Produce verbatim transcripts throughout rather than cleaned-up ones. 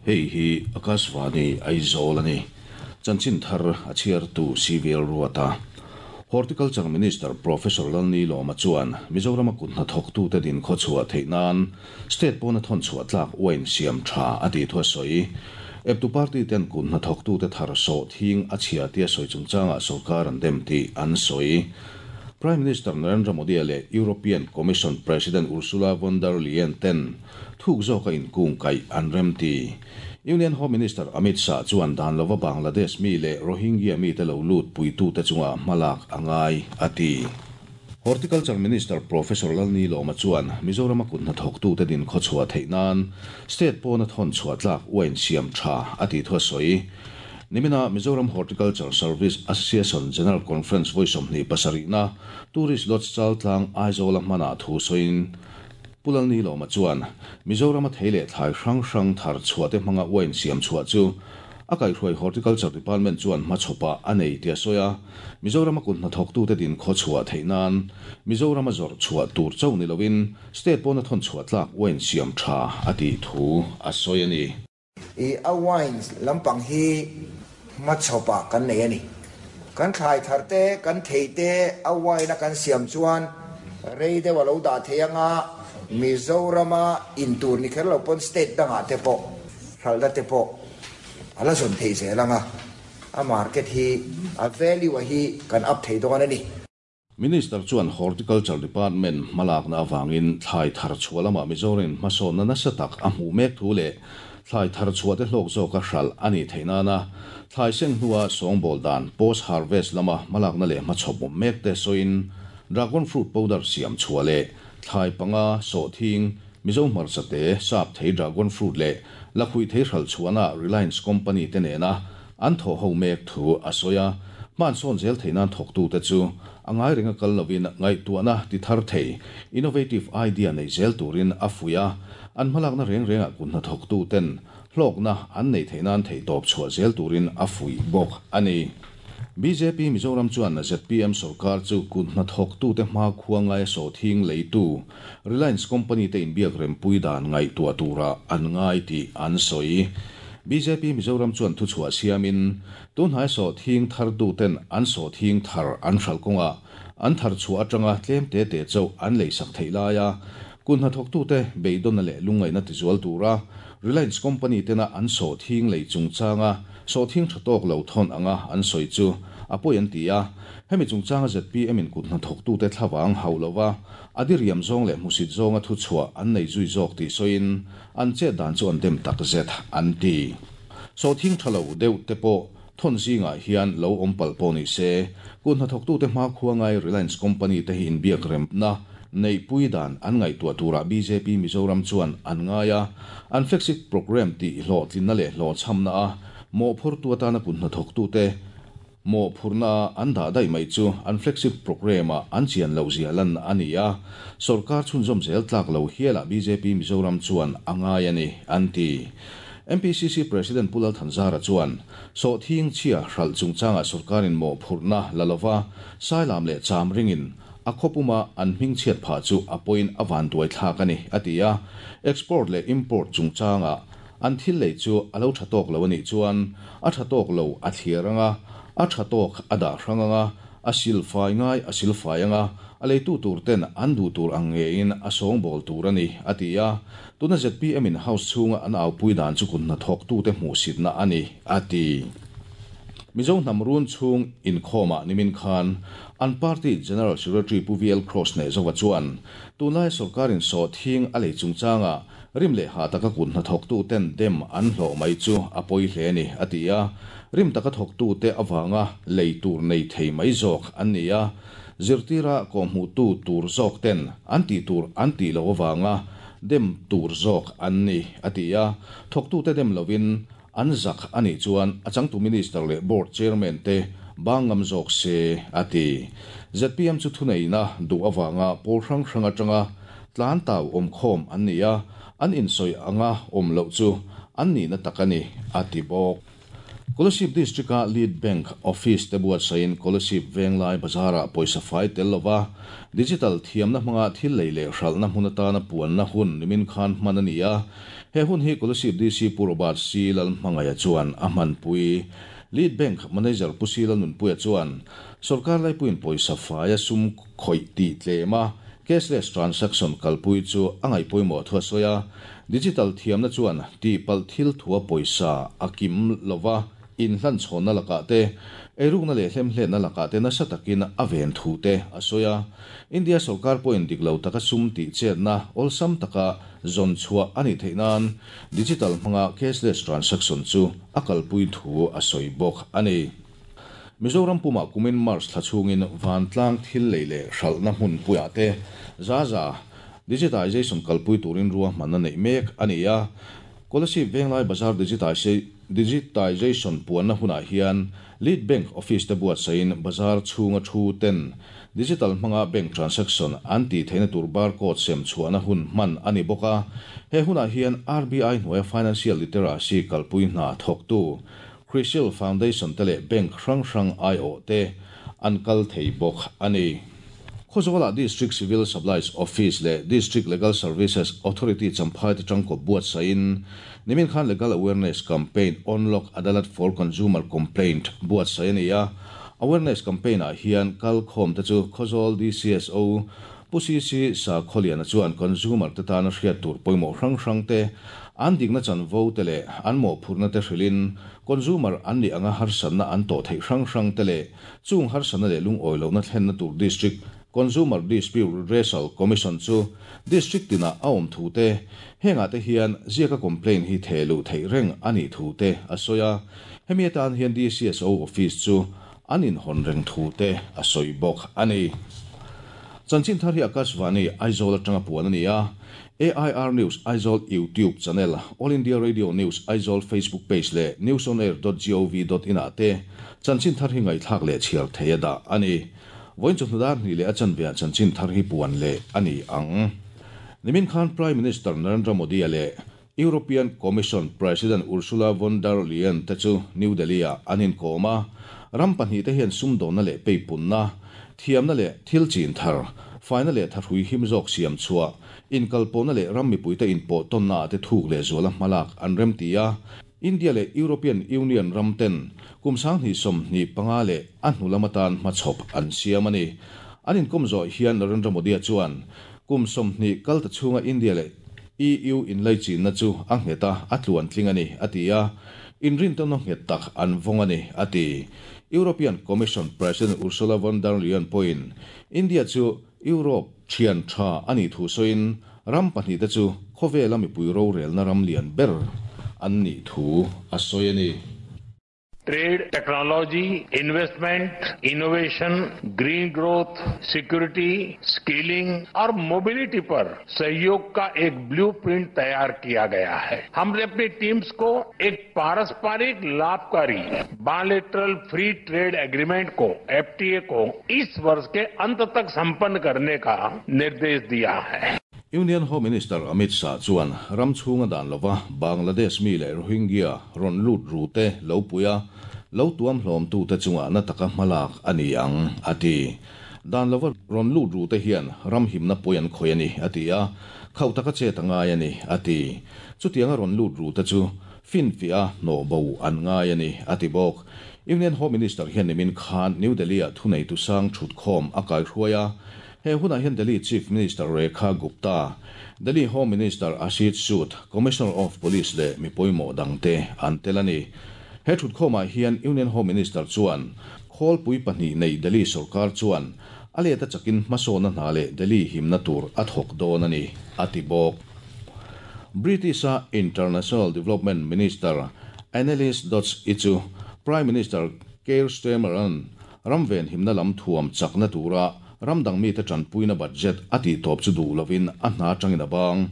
Hei hi Akashvani Aizawl ani chanchin thar a chhiar tu civil ruata Horticulture Minister Professor Lalni Loma chuan Mizoram a kut hnathawk tu te din khawchhuah theih nan state pawna thawn chhuah tlak wine siam tha a ti thu a sawi eptu party ten kut hnathawk tu te thar saw thing a chhia tia sawi chungchanga sarkar an dem ti an sawi Prime Minister Narendra Modi le European Commission President Ursula von der Leyen ten thuk zawka in kung kai an rem ti Union Home Minister Amit Shah chuan dan lova Bangladesh mi le Rohingya mi te lo lut puitu te chunga malak angai ati Horticulture Minister Professor Lalni Loma chuan Mizoram a kut hnathawk tu te din khawchhuah theih nan state pawna thawn chhuah tlak wine siam tha ati thu a sawi Nimina Mizoram Horticulture Service Association General Conference voisom ni pasarina Tourist Lodge Chaltlang Aizawl mana thu soin Pulalni Loma chuan Mizoram a theile thlai hrang hrang thar chhuate hmanga wine siam chhuah chu a kaihhruai Horticulture Department chuan hmachhawpa a nei tia sawi Mizoram a kut hnathawk tu te din khawchhuah theih nan Mizoram a zawrh chhuah tur chauh ni lovin state pawna thawn chhuah tlak wine siam tha a ti thu a sawi ani I a wines lampang hi hmachhawpa kan nei ani kan thlai thar te kan thei te a wine a kan siam chuan rei deuh a lo dah thei anga Mizorama in tur ni kher lo pawn state dangah te pawh hralhna te pawh ala zawn thei zel anga a market hi a value a hi kan up thei dawn ani Minister chuan Horticulture Department malakna awangin thlai thar chhuah lama Mizoram hmasawnna nasa tak a hmuh mek thu leh thlai thar chhuah te hlawk zawk a hral ani theih nana thlai seng hnua sawngbawl dan post harvest lama malakna leh hmachhawp awm mek te sawiin dragon fruit powder siam chhuah leh thlai panga saw thing Mizo hmarcha te sap thei dragon fruit leh lakhui thei hral chhuahna Reliance Company te nena an thaw ho mek thu a sawi a hman sawn zel theih nan thawk tu te chu a ngai ringa kal lovin ngaihtuahna ti thar thei innovative idea nei zel turin a fuia an hmalakna reng renga kut hnathawk tu ten hlawkna an nei theih nan thei tawp chhuah zel turin a fui bawk ani B J P Mizoram chuan Z P M sarkar chu kut hnathawk tu te hma khua ngai saw thing leitu Reliance Company te inbiak rempui dan ngaihtuah tura an ngai ti an sawi B J P Mizoram chuan thu chhuah siamin tun hnai saw thing thar tu ten an saw thing thar an hral kawnga an thar chhuah atanga tlem te te chauh an leisak thei laia kut hnathawk tu te beidawna leh lungngaihna tizual tura Reliance Company tena an saw thing lei chungchanga saw thing tha tawk lo thawn anga an sawi chu a pawi an ti a hemi chungchanga Z P M in kut hnathawk tu te thlavang hau lova adiriam zawng leh hmusit zawnga thu chhuah an nei zui zawk tih sawiin an chet dan chu an dem tak zet an ti saw thing tha lo deuh te pawh thawn zingah hian lo awm pal pawh ni se kut hnathawk tu te hma khua ngai Reliance Company te hi inbiak remna nei pui dan an ngaihtuah tura B J P Mizoram chuan an ngaia an flagship program ti hlawh tlinna leh hlawh chhamna a mawh phur tu atana kut hnathawk tu te mawh phurna an dah daih mai chu an flagship program a an chian lo zia lan ani a sarkar chhunzawm zel tlak lo hiala B J P Mizoram chuan a ngai ani an ti M P C C President Pulal Thanzara chuan saw thing chhia hral chungchanga sarkarin mawh phurna lalova sailam leh cham ringin a khawpuma an hming chhiat pha chu a point awan duai thlak ani ati a export leh import chungchanga an thil lei chu alo tha tawk lo ani chuan a tha tawk lo a thlir anga a tha tawk a dah hrang anga a sil fai ngai a sil fai anga a leitu tur ten an du tur ang ngein a sawngbawl tur ani ati a tuna Z P M in house chhunga an au pui dan chu kut hnathawk tu te hmuh sitna ani ati Mizo hnam run chhung inkhawma nimin khan an party General Secretary Pu V L Cross nei zowa chuan tunlai sarkarin saw thing a lei chungchanga rim leh ha taka kut hnathawk tu ten dem an hlawh mai chu a pawi hle ni ati a rim taka thawk tu te awanga lei tur nei thei mai zawk an ni a zirtira ko hmu tu tur zawk ten an ti tur an ti lo awanga dem tur zawk an ni ati a thawk tu te dem lovin an zak ani chuan a changtu minister leh board chairman te bangam zawk se ati Z P M chu thuneina du awanga pawl hrang hrang atanga tlan tau awm khawm an ni a an insoi anga awm loh chu an ni na tak ani ati bawk Kolasib District-a Lead Bank Office te buatsaihin Kolasib Venglai Bazar-ah pawisa fai tel lova digital thiamna hmanga thil lei leh hralhna hmun atana puanna hun nimin khan hman a ni a. He hun hi Kolasib D C Pu Robert C Lalhmangaia chuan a hmanpui. Lead Bank Manager Pu C Lalnunpuia chuan sawrkar laipuiin pawisa faia sum khawih tih tlem a, cashless transaction kalpui chu a ngaih pawimawh thu a sawi a. Digital thiamna chuan tihpalh thil thua pawisa a kim lova inhlanchhawnna lakah te, eirukna leh hlemhletna lakah te nasa takin a ven thu te a sawi a. India sawrkar pawhin dik lo taka sum tih chetna awlsam taka zawn chhuah a nih theih nan digital hmanga cashless transaction chu a kalpui thu a sawi bawk a ni. Mizoram pumah kumin March thla chhungin vantlang thil lei leh hralhna hmunpuiah te za za digitization kalpui turin ruahmanna neih mek a ni a. Kolasib Venglai Bazar digitization puanna hunah hian Lead Bank Office te buatsaihin bazar chhunga thu ten digital hmanga bank transaction an tih theihna tur barcode sem chhuahna hun hman a ni bawk a. He hunah hian R B I hnuaia financial literacy kalpui hna thawktu Crisil Foundation te leh bank hrang hrang aiawh te an kal thei bawk a ni. Khawzawlah District Civil Supplies Office leh District Legal Services Authority Champhai te tangkawp buatsaihin nimin khan Legal Awareness Campaign on Lok Adalat for Consumer Complaint buatsaih a ni a. Awareness Campaign ah hian kalkhawm te chu Khawzawl D C S O Pu C C Sakhawliana chuan consumer te tana hriat tur pawimawh hrang hrang te, an dikna chanvo te leh an mawhphurhna te hrilhin consumer an nih anga harsatna an tawh theih hrang hrang te leh chung harsatna leh lungawi lohna thlenna tur District Consumer Dispute Redressal Commission chu District tinah a awm thu te, hengah te hian ziaka complaint hi thehluh theih reng a nih thu te a sawi a. Hemi atan hian D C S O Office chu an inhawn reng thu te a sawi bawk a ni. Chanchin thar hi Akashvani Aizawl atanga puan a ni a. A I R News Aizawl YouTube channel, All India Radio News Aizawl Facebook page leh newsonair dot gov dot in ah te chanchin thar hi ngaihthlak leh chhiar thei a dah a ni. Vawiin chawhnu dar hnih leh a chanve ah chanchin thar hi puan leh a ni ang. Nimin khan Prime Minister Narendra Modi leh European Commission President Ursula von der Leyen te chu New Delhi ah an inkawm a. Ram pahnih te hian sumdawnna leh peipunna, thiamna leh thil chin thar, faina leh thahrui him zawk siam chhuah, inkalpawhna leh ram mipuite inpawh tawnna ah te thuk leh zuala hmalak an remti a. India leh European Union ram ten kum sanghnih sawmhnih panga leh a hnu lam atan hmachhawp an siam a ni. An inkawm zawh hian Narendra Modi chuan kum sawmhnih kal ta chhunga India leh E U inlaichinna chu a nghet a, a tluan tling a ni a ti a. Inrintawnna nghet tak an vawng a ni a ti. European Commission President Ursula von der Leyen pawhin India chu Europe thian tha a nih thu sawiin ram pahnih te chu khawvela mipui rorelna ram lian ber an nih thu a sawi a ni. Trade, technology, investment, innovation, green growth, security, skilling और mobility पर सहयोग का एक blueprint तैयार किया गया है। हमने अपनी टीम्स को एक पारस्परिक लाभकारी bilateral free trade agreement को, F T A को इस वर्ष के अंत तक संपन्न करने का निर्देश दिया है। Union Home Minister Amit Shah chuan ram chhunga dan lova Bangladesh mi leh Rohingya rawn lut ru te lo puia lo tuam hlawm tu te chunga na taka hmalak a ni ang a ti. Dan lova rawn lut ru te hian ram himna pawi an khawi a ni a ti a, khauh taka chet a ngai a ni a ti. Chutianga rawn lut ru te chu finfiah a hnawh bo an ngai a ni a ti bawk. Union Home Minister hian nimin khan New Delhi ah thuneitu sang thutkhawm a kaihruai a. He hunah hian Delhi Chief Minister Rekha Gupta, Delhi Home Minister Ashish Sood, Commissioner of Police leh mi pawimawh dangte an tel a ni. He thutkhawmah hian Union Home Minister chuan khawlpui pahnih nei Delhi sorkar chuan a let a chakin hmasawnna hna leh Delhi himna tur a thawk dawn a ni a ti bawk. British a International Development Minister Annelies Dodds i chu Prime Minister Keir Starmer an ramven himna lam thuam chakna tura ramdang mite tanpuina budget a tih tawp chu duh lovin a hna atangin a bang.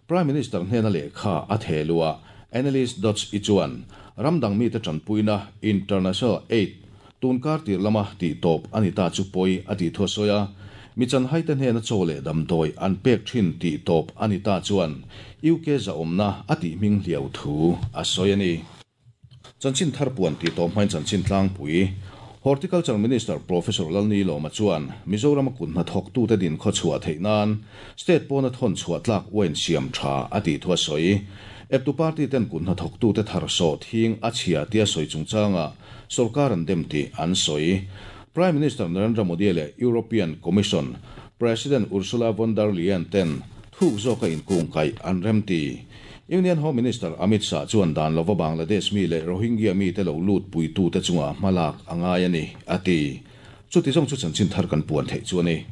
Prime Minister hnena lehkha a thelua Annelies Dodds i chuan ramdang mite tanpuina International Aid tunkar tir lama tih tawp a ni ta chu pawi a tih thu a sawi a. Mi chanhai te hnena chaw leh damdawi an pek thin tih tawp a ni ta chuan U K zahawmna a tih hming hliau thu a sawi a ni. Chanchin thar puan ti tawp hmain chanchin tlangpui. Horticulture Minister Professor Lalnilawma chuan Mizoram a kuthnathawktute din khawchhuah theih nan state pawna thawn chhuah tlak uain siam tha a tih thu a sawi. Eptu party ten kuthnathawktute thar sawhthing a chhia tia sawi chungchangah sorkar an dem tih an sawi. Prime Minister Narendra Modi leh European Commission President Ursula von der Leyen ten thuk zawka inkungkaih an remti. Union Home Minister Amit Shah chuan dan lova Bangladesh mi leh Rohingya mi te lo lut puitute chunga hmalak a ngai a ni, a ti. Chuti zawng chu chanchin thar kan puan theih chu a ni.